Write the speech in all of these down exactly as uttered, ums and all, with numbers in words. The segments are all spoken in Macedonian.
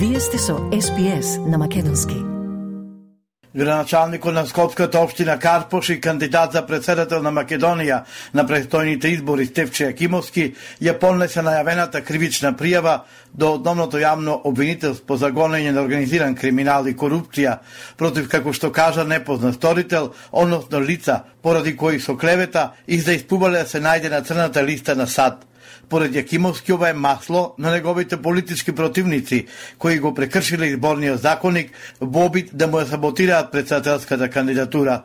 Вие сте со Ес Би Ес на македонски. Градоначалникот на Скопската општина Карпош и кандидат за претседател на Македонија на престојните избори Стефче Јакимовски ја поднесе најавената кривична пријава до основното јавно обвинителство за гонење на организиран криминал и корупција против, како што кажа, непознат сторител, односно лица поради кои со клевета их да испубале да се најде на црната листа на САД. Поред Јакимовски, ова е масло на неговите политички противници, кои го прекршиле изборниот законник во обид да му ја саботираат претседателската кандидатура.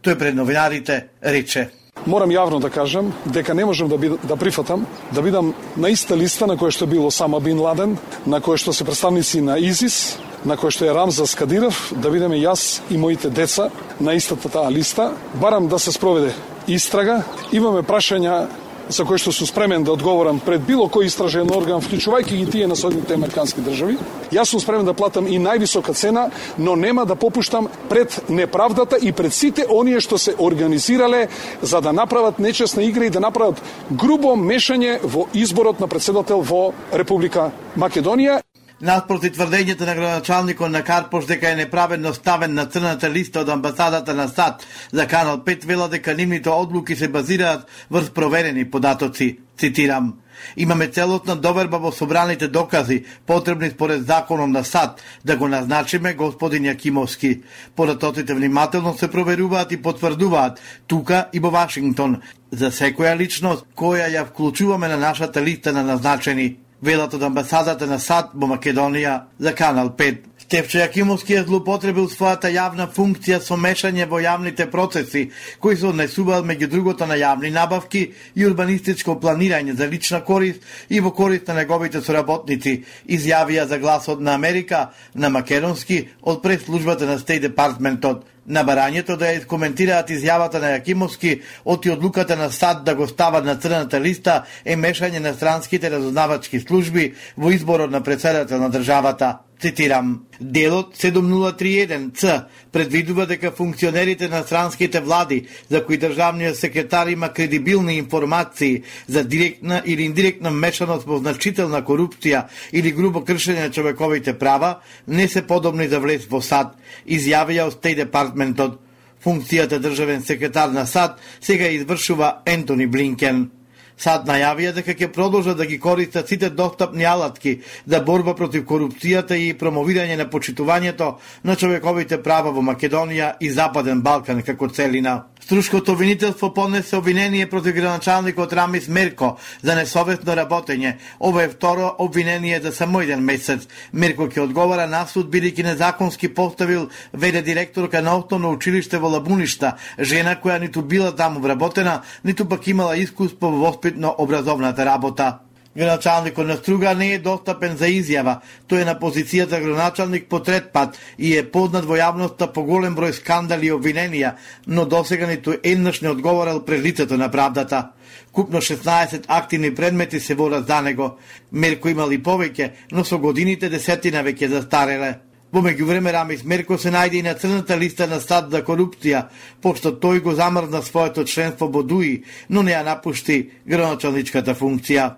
Тој пред новинарите рече: Морам јавно да кажам дека не можам да, бid, да прифатам да бидам на иста листа на која што бил Осама Бин Ладен, на која што се представници на ИЗИС, на која што е Рамзас Кадиров, да бидеме јас и моите деца на истата таа листа. Барам да се спроведе истрага. Имаме прашања за кој што сум спремен да одговорам пред било кој истражен орган, вклучувајќи ги тие на Соединетите американски држави. Јас сум спремен да платам и највисока цена, но нема да попуштам пред неправдата и пред сите оние што се организирале за да направат нечесна игра и да направат грубо мешање во изборот на претседател во Република Македонија. Наспроти тврдењето на градоначалникот на Карпош дека е неправедно ставен на црната листа од амбасадата на САД за Канал пет, вела дека нивните одлуки се базираат врз проверени податоци. Цитирам: Имаме целосна доверба во собраните докази, потребни според законот на САД, да го назначиме господин Јакимовски. Податоците внимателно се проверуваат и потврдуваат тука и во Вашингтон за секоја личност која ја вклучуваме на нашата листа на назначени, велат од амбасадата на САД во Македонија за Канал пет. Стефче Јакимовски е злоупотребил својата јавна функција со мешање во јавните процеси, кои се однесуваат меѓу другото на јавни набавки и урбанистичко планирање за лична корист и во корист на неговите соработници, изјавија за Гласот на Америка на македонски од прес-службата на Стејт Департментот. На барањето да ја искоментираат изјавата на Јакимовски оти одлуката на САД да го стават на црната листа е мешање на странските разузнавачки служби во изборот на претседател на државата. Цитирам: Делот седум нула три еден Ц предвидува дека функционерите на странските влади, за кои државниот секретар има кредибилни информации за директна или индиректна мешаност во значителна корупција или грубо кршење на човековите права, не се подобни за влез во САД, изјавија од Стејт Департментот. Функцијата државен секретар на САД сега извршува Ентони Блинкен. САД најавија дека ќе продолжат да ги користат сите достапни алатки за борба против корупцијата и промовирање на почитувањето на човековите права во Македонија и Западен Балкан како целина. Струшкото обвинителство поднесе обвинение против градоначалникот Рамис Мерко за несовесно работење. Ова е второ обвинение за само еден месец. Мерко ќе одговара на суд бидејќи незаконски поставил вд директорка на основно училиште во Лабуништа, жена која ниту била таму вработена, ниту пак имала искуство во воспитно образовната работа. Градоначалникот на Струга не е достапен за изјава. Тој е на позицијата градоначалник по трет пат и е познат во јавноста по голем број скандали и обвиненија, но досега ниту еднаш не одговорил пред лицето на правдата. Купно шеснаесет активни предмети се водат за него. Мерко имали повеќе, но со годините десетина веќе застареле. Во меѓувреме Рамис Мерко се најде и на црната листа на САД за корупција, пошто тој го замрзна своето членство во ДУИ, но не ја напушти градоначалничката функција.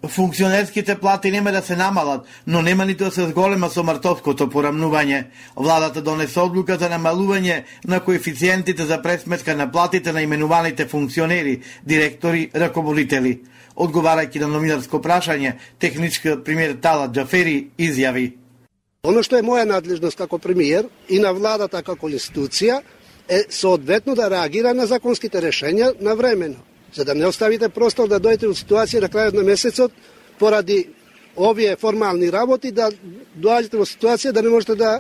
Функционерските плати нема да се намалат, но нема ниту да се зголема со мартовското порамнување. Владата донесе одлука за намалување на коефициентите за пресметка на платите на именуваните функционери, директори, раководители. Одговарајќи на новинарско прашање, техничкиот премиер Талат Џафери изјави: Оно што е моја надлежност како премиер и на владата како институција е соодветно да реагира на законските решења навремено, за да не оставите простор да дојдете од ситуација на крајот на месецот поради овие формални работи да доаѓате во ситуација да не можете да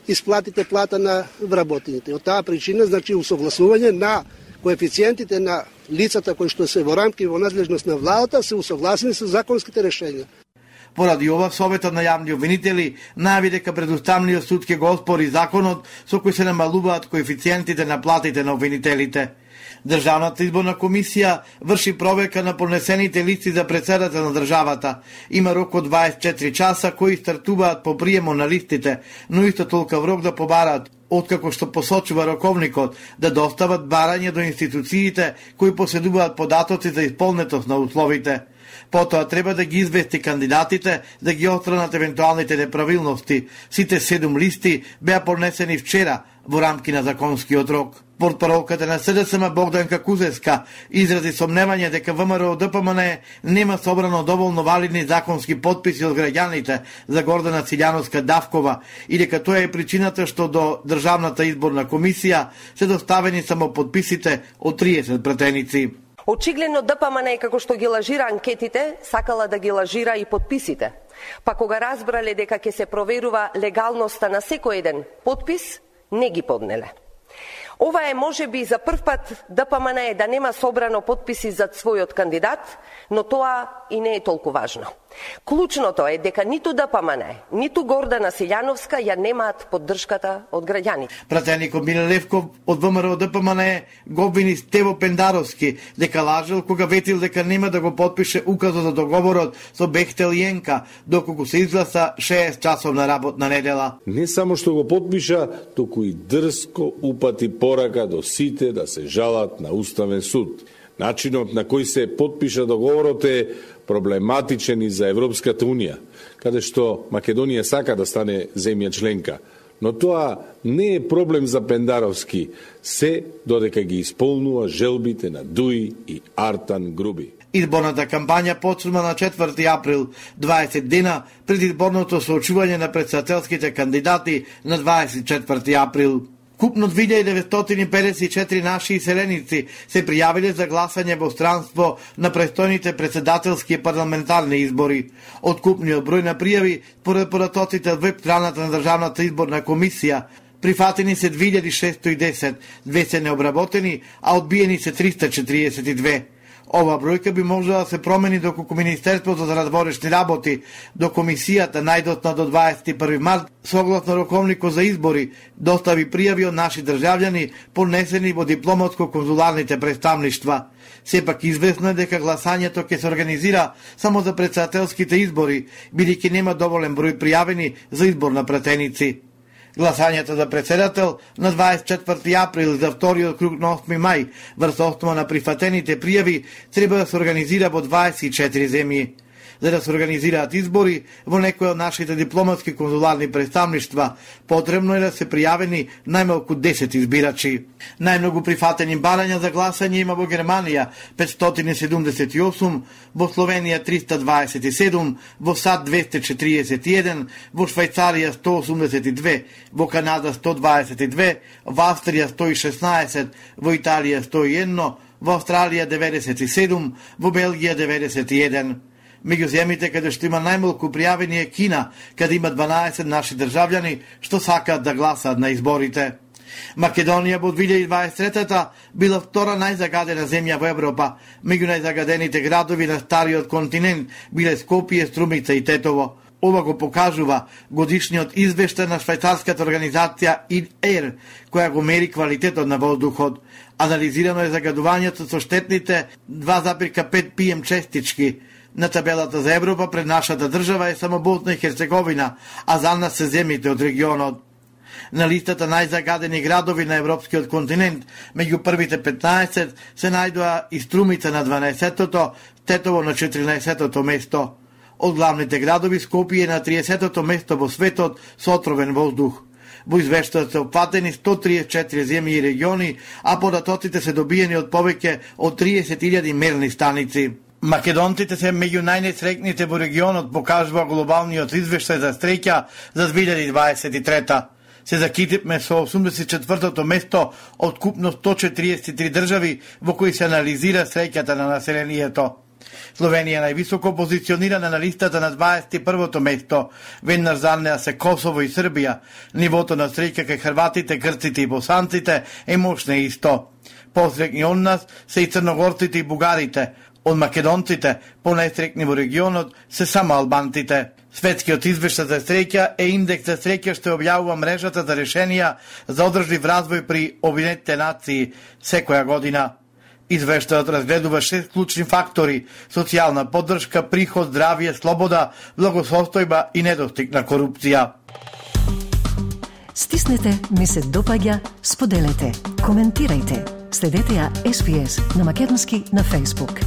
исплатите плата на вработените. Од таа причина, значи, усогласување на коефициентите на лицата кои што се во рамки во надлежност на владата се усогласени со законските решења. Поради ова, Советот на јавни обвинители најави дека предуставниот суд ќе го оспори законот со кој се намалуваат коефициентите на платите на обвинителите. Државната изборна комисија врши проверка на поднесените листи за претседател на државата. Има рок од дваесет и четири часа кои стартуваат по приемо на листите, но исто толков рок да побараат, откако што посочува роковникот, да достават барање до институциите кои поседуваат податоци за исполнетост на условите. Потоа треба да ги извести кандидатите да ги отстранат евентуалните неправилности. Сите седум листи беа поднесени вчера во рамки на законскиот рок. Портпаролката на СДСМ Богданка Кузеска изрази сомневање дека ВМРО Д П М Н нема собрано доволно валидни законски потписи од граѓаните за Гордана Силјановска-Давкова и дека тоа е причината што до Државната изборна комисија се доставени само потписите од триесет пратеници. Очигледно Д П М Н, како што ги лажира анкетите, сакала да ги лажира и подписите. Па кога разбрале дека ќе се проверува легалноста на секој еден подпис, не ги поднеле. Ова е можеби за прв пат Д П М Н да нема собрано подписи за својот кандидат, но тоа и не е толку важно. Клучното е дека ниту Д П М Н, ниту Гордана Силјановска ја немаат поддршката од граѓаните. Пратеникот Миле Левков од ВМРО Д П М Н го обвини Стево Пендаровски дека лажел кога ветил дека нема да го потпише указот за договорот со Бехтел и Енка, доколку се изгласа шест часовна работна недела. Не само што го потпиша, туку и дрско упати порака до сите да се жалат на Уставен суд. Начинот на кој се потпиша договорот е проблематичен и за Европската Унија, каде што Македонија сака да стане земја членка. Но тоа не е проблем за Пендаровски, се додека ги исполнува желбите на Дуи и Артан Груби. Изборната кампања почнува на четврти април, дваесет дена пред изборното соочување на претседателските кандидати на дваесет и четврти април. Купно две илјади деветстотини и педесет и четири наши иселеници се пријавиле за гласање во странство на престојните претседателски и парламентарни избори. Од купниот број на пријави, според податоците од веб страната на Државната изборна комисија, прифатени се две илјади шестоста и десет, две се необработени, а одбиени се триста четириесет и две. Ова бројка би можела да се промени доколку Министерството за надворешни работи до комисијата најдосна до дваесет и први март, согласно роковникот за избори, достави пријави од наши државјани поднесени во дипломатско-конзуларните представништва. Сепак известно е дека гласањето ќе се организира само за претседателските избори, бидејќи нема доволен број пријавени за избор на пратеници. Гласањето за председател на дваесет и четврти април за вториот круг на осми мај врз основа на прифатените пријави треба да се организира во дваесет и четири земји. За да се организираат избори во некои од нашите дипломатски конзуларни представништва, потребно е да се пријавени најмалку десет избирачи. Најмногу прифатени барања за гласање има во Германија петстотини и седумдесет и осум, во Словенија триста дваесет и седум, во САД двеста четириесет и еден, во Швајцарија сто осумдесет и две, во Канада сто дваесет и две, во Австрија сто и шеснаесет, во Италија сто и едно, во Австралија деветдесет и седум, во Белгија деветдесет и еден. Меѓу земјите каде што има најмалку пријавени е Кина, каде има дванаесет наши државјани што сакаат да гласаат на изборите. Македонија во две илјади дваесет и трета била втора најзагадена земја во Европа. Меѓу најзагадените градови на стариот континент биле Скопје, Струмица и Тетово. Ова го покажува годишниот извештај на швајцарската организација ай ей ар, која го мери квалитетот на воздухот. Анализирано е загадувањето со штетните два запирка пет пи ем честички. На табелата за Европа пред нашата држава е само Босна и Херцеговина, а за нас се земјите од регионот. На листата најзагадени градови на европскиот континент, меѓу првите петнаесет се најдоа и Струмица на дванаесеттото, Тетово на четиринаесеттото место. Од главните градови Скопје на триесеттото место во светот со отровен воздух. Во извештајот се опфатени сто триесет и четири земји и региони, а податоците се добиени од повеќе од триесет илјади мерни станици. Македонците се меѓу најнесреќните во регионот, покажува глобалниот извештај за среќа за две илјади дваесет и трета. Се закитивме со осумдесет и четвртото место од купно сто четириесет и три држави во кои се анализира среќата на населението. Словенија највисоко позиционирана на листата на дваесет и првото место, веднаш за неа се Косово и Србија. Нивото на среќа кај хрватите, грците и босанците е мощно исто. Посрекни од нас се и црногорците и бугарите. Од македонците, понајстрекни во регионот, се само албанците. Светскиот извештај за среќа е индекс за среќа што објавува мрежата за решенија за одржлив развој при Обединетите нации секоја година. Извештајот разгледува шест клучни фактори: социјална поддршка, приход, здравје, слобода, благосостојба и недостиг на корупција. Стиснете, ми се допаѓа, споделете, коментирајте. Следете ја Ес Би Ес на македонски на Facebook.